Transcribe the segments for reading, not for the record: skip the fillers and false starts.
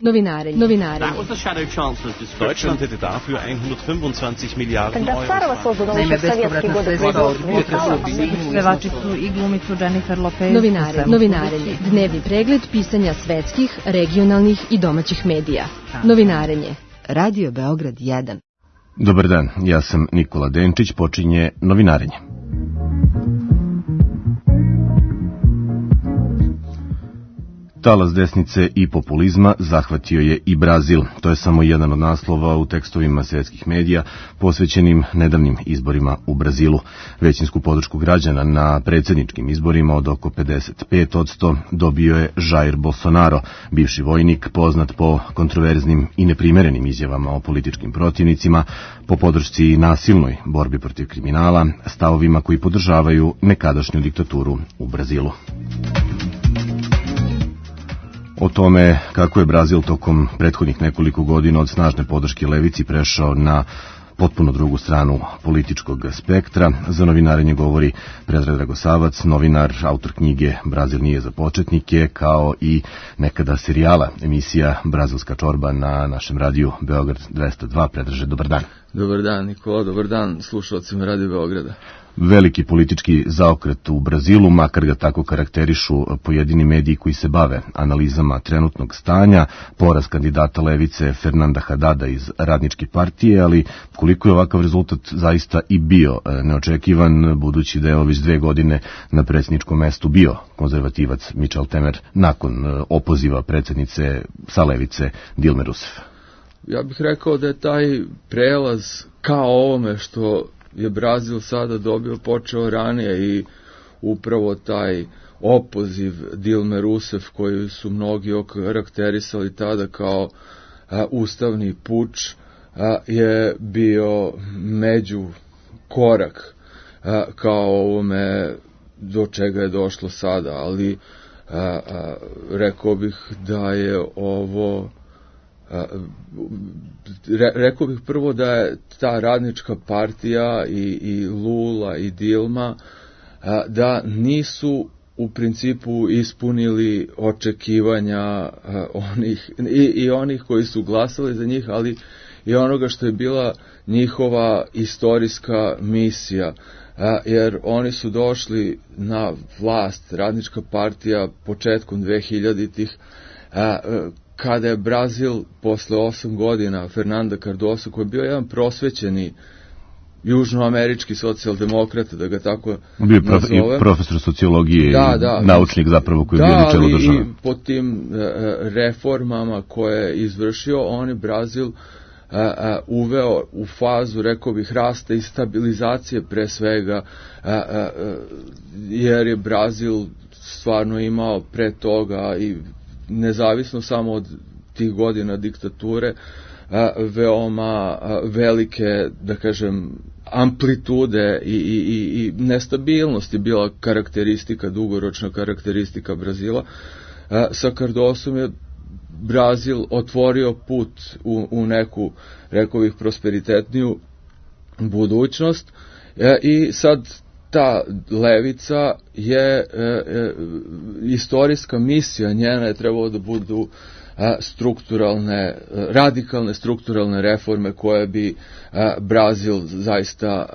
Novinarenje. Deutschland hätte dafür 125 Miliarden Euro. Naime, bespovratna sredstva od pevačicu i glumicu Jennifer Lopez. Novinarenje. Dnevni pregled pisanja svetskih, regionalnih i domaćih medija. Novinarenje. Radio Beograd 1. Dobar dan, ja sam Nikola Denčić, počinje Novinarenje. Talas desnice i populizma zahvatio je i Brazil. To je samo jedan od naslova u tekstovima svetskih medija posvećenim nedavnim izborima u Brazilu. Većinsku podršku građana na predsjedničkim izborima od oko 55% dobio je Jair Bolsonaro, bivši vojnik poznat po kontroverznim i neprimerenim izjavama o političkim protivnicima, po podršci nasilnoj borbi protiv kriminala, stavovima koji podržavaju nekadašnju diktaturu u Brazilu. O tome kako je Brazil tokom prethodnih nekoliko godina od snažne podrške levici prešao na potpuno drugu stranu političkog spektra, za Novinarenje govori Predrag Dragosavac, novinar, autor knjige Brazil nije za početnike, kao i nekada serijala emisija Brazilska čorba na našem radiju Beograd 202. Predraže, dobar dan. Dobar dan, Nikola, dobar dan slušalcima Radio Beograda. Veliki politički zaokret u Brazilu, makar ga tako karakterišu pojedini mediji koji se bave analizama trenutnog stanja, poraz kandidata levice Fernanda Hadada iz Radničke partije, ali koliko je ovakav rezultat zaista i bio neočekivan, budući da je već 2 godine na predsjedničkom mestu bio konzervativac Michel Temer nakon opoziva predsjednice sa levice Dilme Rousseff. Ja bih rekao da je taj prelaz kao ovome što je Brazil sada dobio počeo ranije i upravo taj opoziv Dilme Rousseff koji su mnogi okarakterisali tada kao ustavni puč je bio među korak kao ovome do čega je došlo sada, ali rekao bih da je ovo rekao bih prvo da je ta Radnička partija i Lula i Dilma da nisu u principu ispunili očekivanja onih koji su glasali za njih, ali i onoga što je bila njihova istorijska misija, jer oni su došli na vlast, Radnička partija, početkom 2000-ih, kada je Brazil posle 8 godina Fernanda Cardoso, koji je bio jedan prosvećeni južnoamerički socijaldemokrata, da ga tako nazovem. I profesor sociologije, naučnik zapravo koji je bio na čelu države. I po tim reformama koje je izvršio, on je Brazil uveo u fazu, rekao bih, rasta i stabilizacije pre svega, jer je Brazil stvarno imao pre toga i nezavisno samo od tih godina diktature, veoma velike, da kažem, amplitude i nestabilnost je bila karakteristika, dugoročna karakteristika Brazila. Sa Cardosom je Brazil otvorio put u neku, rekao bih, prosperitetniju budućnost i sad ta levica je istorijska misija, njena je trebalo da budu radikalne strukturalne reforme koje bi Brazil zaista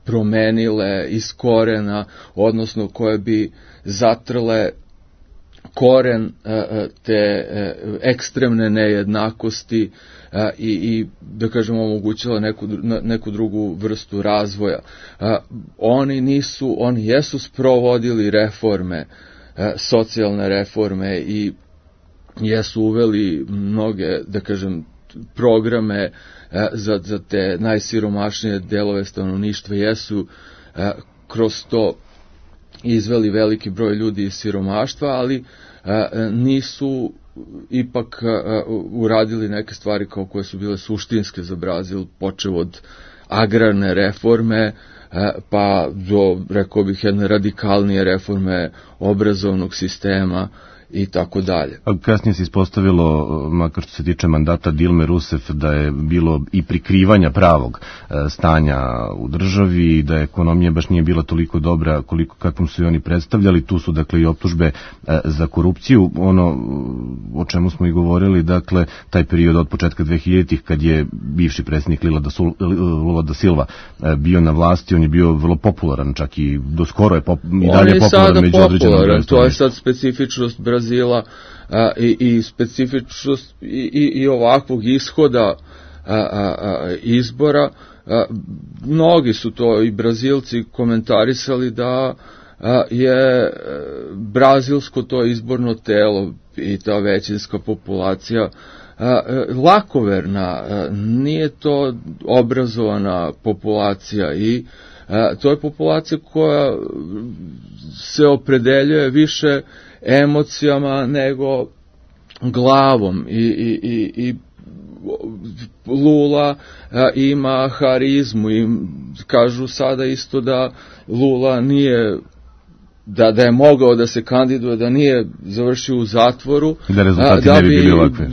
promenile iz korena, odnosno koje bi zatrle koren te ekstremne nejednakosti i da kažemo omogućila neku drugu vrstu razvoja. Oni jesu sprovodili reforme, socijalne reforme i jesu uveli mnoge, da kažem, programe za te najsiromašnije delove stanovništva, jesu kroz to izveli veliki broj ljudi iz siromaštva, ali nisu ipak uradili neke stvari kao koje su bile suštinske za Brazil, počev od agrarne reforme, pa do, rekao bih, jedne radikalnije reforme obrazovnog sistema i tako dalje. Kasnije se ispostavilo, makar što se tiče mandata Dilme Rousseff, da je bilo i prikrivanja pravog stanja u državi, da ekonomija baš nije bila toliko dobra kakvom su i oni predstavljali. Tu su dakle i optužbe za korupciju, ono o čemu smo i govorili, dakle taj period od početka 2000-ih kad je bivši predsjednik Lula da Silva bio na vlasti, on je bio vrlo popularan, čak i do skoro je i dalje popularan među određenom brojem. To je sad specifičnost Brazila i specifičnost i ovakvog ishoda izbora. Mnogi su to i Brazilci komentarisali da je brazilsko to izborno telo i ta većinska populacija lakoverna, nije to obrazovana populacija i to je populacija koja se opredeljuje više emocijama nego glavom i Lula ima harizmu i kažu sada isto da Lula nije da je mogao da se kandiduje, da nije završio u zatvoru, da rezultati ne bi bili ovakve.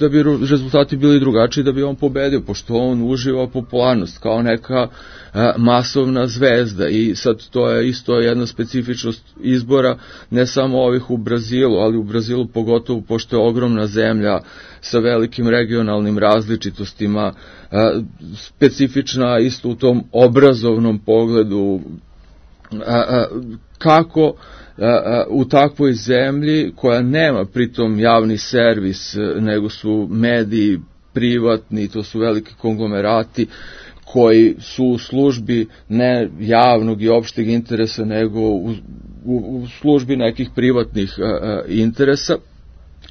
Da bi rezultati bili drugačiji, da bi on pobedio, pošto on uživa popularnost kao neka masovna zvezda i sad to je isto jedna specifičnost izbora, ne samo ovih u Brazilu, ali u Brazilu pogotovo pošto je ogromna zemlja sa velikim regionalnim različitostima, specifična isto u tom obrazovnom pogledu, kako u takvoj zemlji koja nema pritom javni servis, nego su mediji privatni, to su veliki konglomerati koji su u službi ne javnog i opšteg interesa, nego u službi nekih privatnih interesa,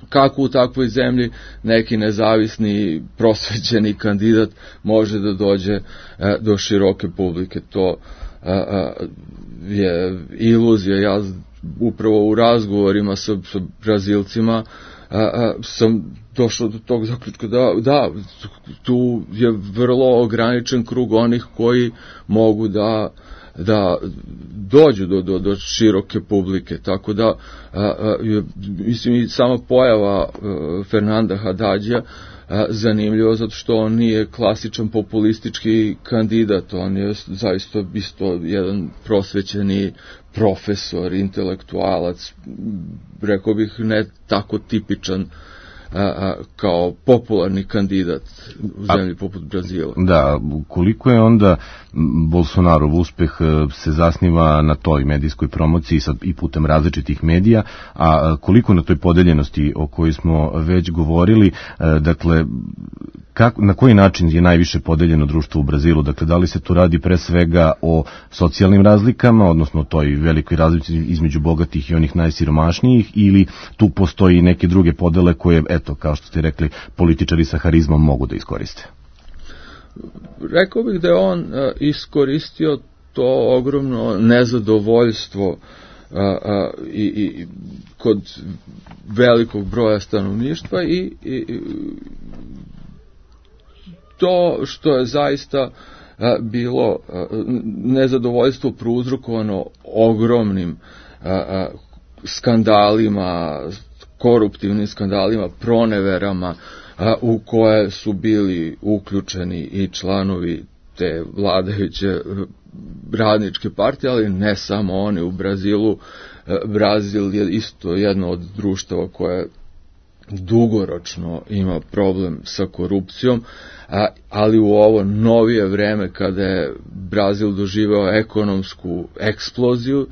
kako u takvoj zemlji neki nezavisni prosvećeni kandidat može da dođe do široke publike. To je iluzija. Ja upravo u razgovorima sa Brazilcima sam došao do tog zaključka da tu je vrlo ograničen krug onih koji mogu da dođu do široke publike, tako da mislim i sama pojava Fernanda Haddadija zanimljivo, zato što on nije klasičan populistički kandidat, on je zaista isto jedan prosvećeni profesor, intelektualac, rekao bih ne tako tipičan kao popularni kandidat u zemlji poput Brazila. Da, koliko je onda Bolsonarov uspeh se zasniva na toj medijskoj promociji sad i putem različitih medija, a koliko na toj podeljenosti o kojoj smo već govorili, dakle, na koji način je najviše podeljeno društvo u Brazilu? Dakle, da li se tu radi pre svega o socijalnim razlikama, odnosno toj velikoj razlici između bogatih i onih najsiromašnijih, ili tu postoji neke druge podele koje, eto, kao što ste rekli, političari sa harizmom mogu da iskoriste? Rekao bih da je on iskoristio to ogromno nezadovoljstvo i kod velikog broja stanovništva i to što je zaista bilo nezadovoljstvo prouzrokovano ogromnim skandalima, koruptivnim skandalima, proneverama u koje su bili uključeni i članovi te vladajuće radničke partije, ali ne samo oni. U Brazilu, Brazil je isto jedno od društava koje dugoročno ima problem sa korupcijom, ali u ovo novije vreme kada je Brazil doživeo ekonomsku eksploziju,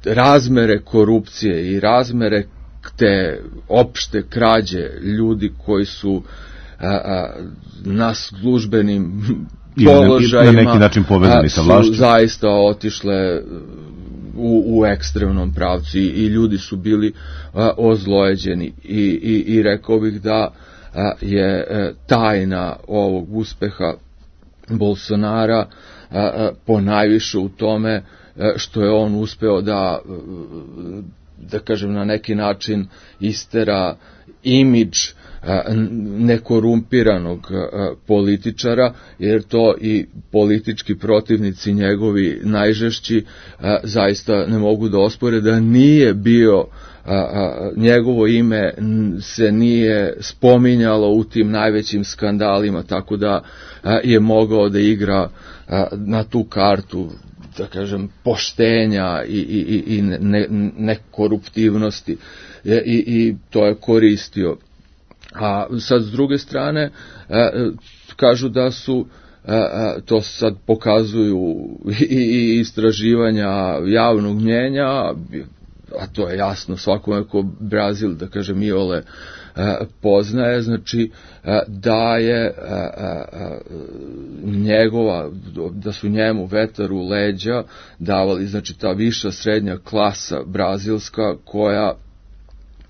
razmere korupcije i razmere te opšte krađe ljudi koji su na službenim položajima na neki način povezani sa vlašću, zaista otišle u ekstremnom pravcu i ljudi su bili ozlojeđeni i rekao bih da je tajna ovog uspeha Bolsonara ponajviše u tome što je on uspeo da kažem na neki način istera imidž nekorumpiranog političara, jer to i politički protivnici njegovi najžešći zaista ne mogu da ospore da nije bio njegovo ime se nije spominjalo u tim najvećim skandalima, tako da je mogao da igra na tu kartu, da kažem, poštenja i nekoruptivnosti i to je koristio. A sad s druge strane kažu da su, to sad pokazuju i istraživanja javnog mnjenja, a to je jasno svakome ko Brazil, da kažem, iole poznaje, znači da je da su njemu vetar u leđa davali, znači ta viša srednja klasa brazilska, koja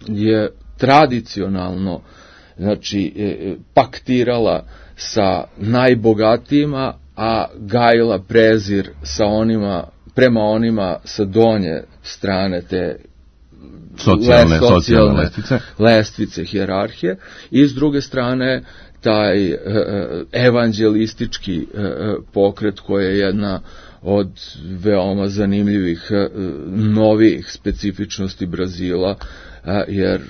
je tradicionalno, znači, paktirala sa najbogatijima, a gajila prezir sa onima, prema onima sa donje strane te socijalne lestvice hijerarhije, i s druge strane taj evanđelistički pokret, koji je jedna od veoma zanimljivih novih specifičnosti Brazila, jer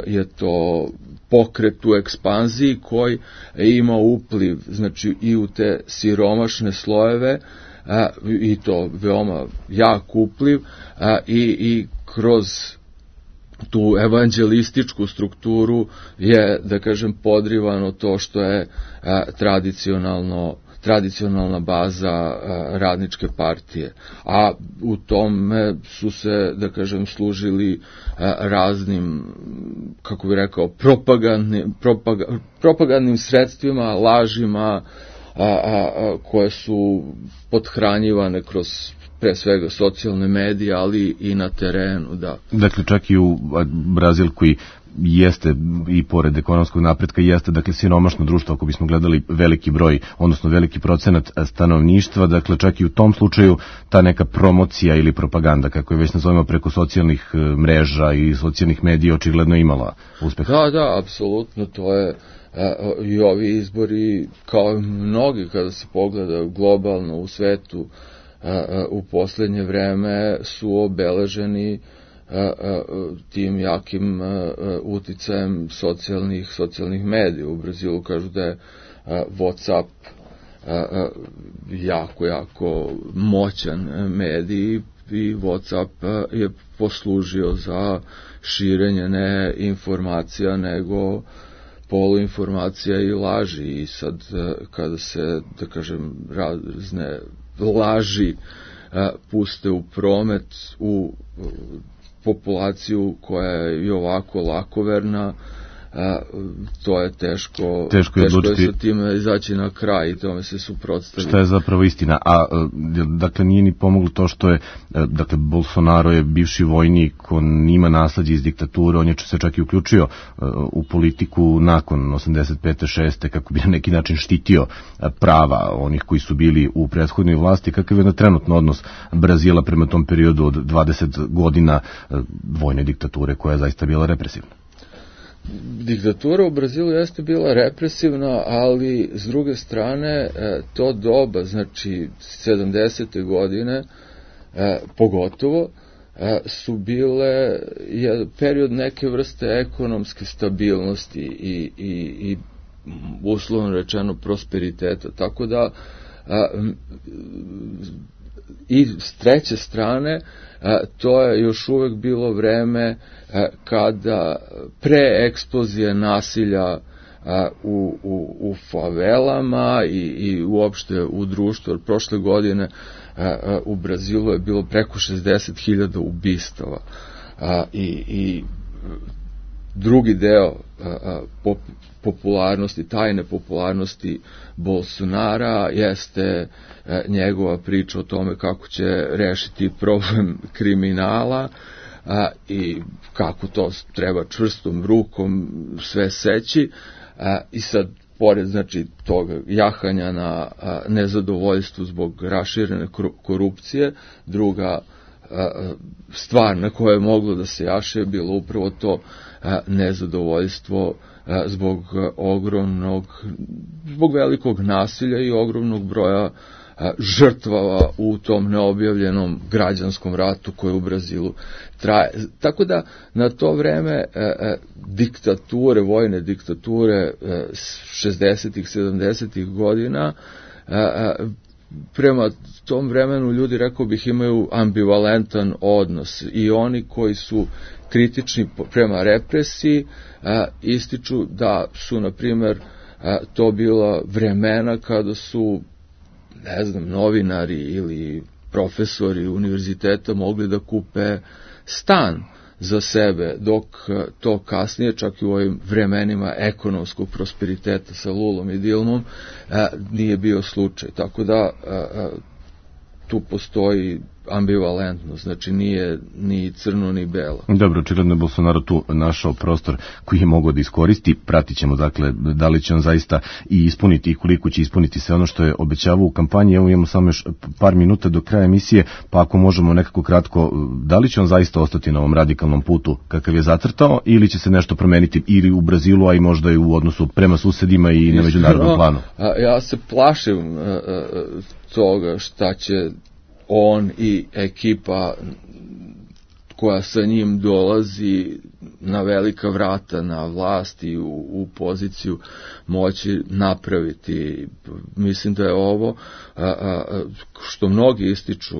je to pokret u ekspanziji koji ima upliv, znači, i u te siromašne slojeve, i to veoma jak upliv, i kroz tu evanđelističku strukturu je, da kažem, podrivano to što je tradicionalna baza radničke partije. A u tome su se, da kažem, služili raznim, kako bih rekao, propagandnim sredstvima, lažima, koje su pothranjivane kroz, pre svega, socijalne medije, ali i na terenu, da. Dakle, čak i u Brazil, koji jeste i pored ekonomskog napretka, jeste, dakle, siromašno društvo, ako bismo gledali veliki broj, odnosno veliki procenat stanovništva, dakle, čak i u tom slučaju ta neka promocija ili propaganda, kako je već nazovemo, preko socijalnih mreža i socijalnih medija, očigledno imala uspeh. Da, apsolutno, to je i ovi izbori, kao mnogi kada se pogleda globalno u svetu, u poslednje vreme su obeleženi tim jakim uticajem socijalnih medija. U Brazilu kažu da je WhatsApp jako moćan medij i WhatsApp je poslužio za širenje ne informacija, nego poluinformacija i laži. I sad kada se, da kažem, razne laži puste u promet u populaciju koja je i ovako lakoverna, to je teško je sa time izaći na kraj i tome se suprotstaviti. Šta je zapravo istina? A dakle, nije ni pomoglo to što je, dakle, Bolsonaro je bivši vojnik, on ima nasleđe iz diktature, on je se čak i uključio u politiku nakon 85. 6. kako bi na neki način štitio prava onih koji su bili u prethodnoj vlasti. Kakav je na trenutno odnos Brazila prema tom periodu od 20 godina vojne diktature, koja je zaista bila represivna? Diktatura u Brazilu jeste bila represivna, ali s druge strane to doba, znači 70. godine pogotovo, su bile period neke vrste ekonomske stabilnosti i uslovno rečeno prosperiteta, tako da i s treće strane to je još uvek bilo vreme kada pre eksplozije nasilja u favelama i uopšte u društvu, jer prošle godine u Brazilu je bilo preko 60.000 ubistava i drugi deo popularnosti, tajne popularnosti Bolsonara jeste njegova priča o tome kako će rešiti problem kriminala i kako to treba čvrstom rukom sve seći, i sad pored, znači, toga jahanja na nezadovoljstvu zbog raširene korupcije, druga stvar na koje je moglo da se jaše je bilo upravo to nezadovoljstvo zbog velikog nasilja i ogromnog broja žrtvava u tom neobjavljenom građanskom ratu koji u Brazilu traje. Tako da na to vreme diktature, vojne diktature 60-ih, 70-ih godina, prema tom vremenu ljudi, rekao bih, imaju ambivalentan odnos i oni koji su kritični prema represiji ističu da su, na primjer, to bila vremena kada su, ne znam, novinari ili profesori univerziteta mogli da kupe stan za sebe, dok to kasnije, čak i u ovim vremenima ekonomskog prosperiteta sa Lulom i Dilmom, nije bio slučaj. Tako da tu postoji ambivalentnost, znači nije ni crno ni belo. Dobro, očigledno je Bolsonaro tu našao prostor koji je mogao da iskoristi. Pratit ćemo, dakle, da li će on zaista i ispuniti i koliko će ispuniti sve ono što je obećavao u kampanji. Evo imamo samo još par minuta do kraja emisije, pa ako možemo nekako kratko, da li će on zaista ostati na ovom radikalnom putu kakav je zacrtao ili će se nešto promeniti ili u Brazilu, a i možda i u odnosu prema susedima i na međunarodnom planu? Ja se plašim toga šta će on i ekipa koja sa njim dolazi na velika vrata na vlast i u poziciju moći napraviti. Mislim da je ovo, što mnogi ističu,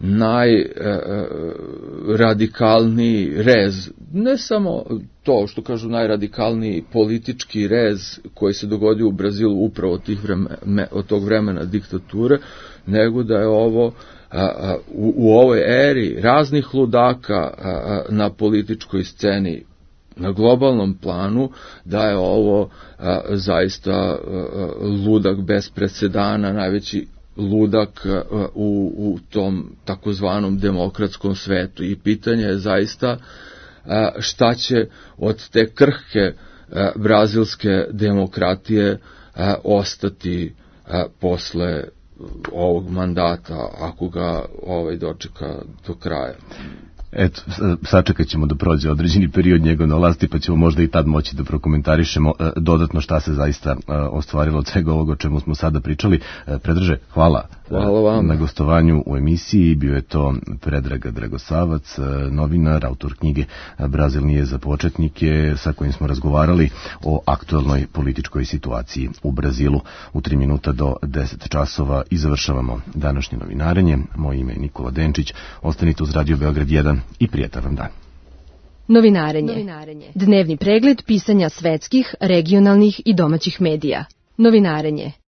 najradikalniji rez, ne samo to što kažu najradikalniji politički rez koji se dogodio u Brazilu upravo od tog vremena diktature, nego da je ovo u ovoj eri raznih ludaka na političkoj sceni na globalnom planu, da je ovo zaista ludak bez presedana, najveći ludak u tom takozvanom demokratskom svetu. I pitanje je zaista šta će od te krhke brazilske demokratije ostati posle ovog mandata, ako ga dočeka do kraja. Eto, sačekat ćemo da prođe određeni period njegov na vlasti, pa ćemo možda i tad moći da prokomentarišemo dodatno šta se zaista ostvarilo od svega ovoga o čemu smo sada pričali. Predraže, hvala vam na gostovanju u emisiji. Bio je to Predrag Dragosavac, novinar, autor knjige Brazil nije za početnike, sa kojim smo razgovarali o aktuelnoj političkoj situaciji u Brazilu. U 3 minuta do 10 časova i završavamo današnje novinarenje. Moje ime je Nikola Denčić. Ostanite uz Radio Beograd 1 i prijatan vam dan. Novinarenje. Dnevni pregled pisanja svetskih, regionalnih i domaćih medija. Novinarenje.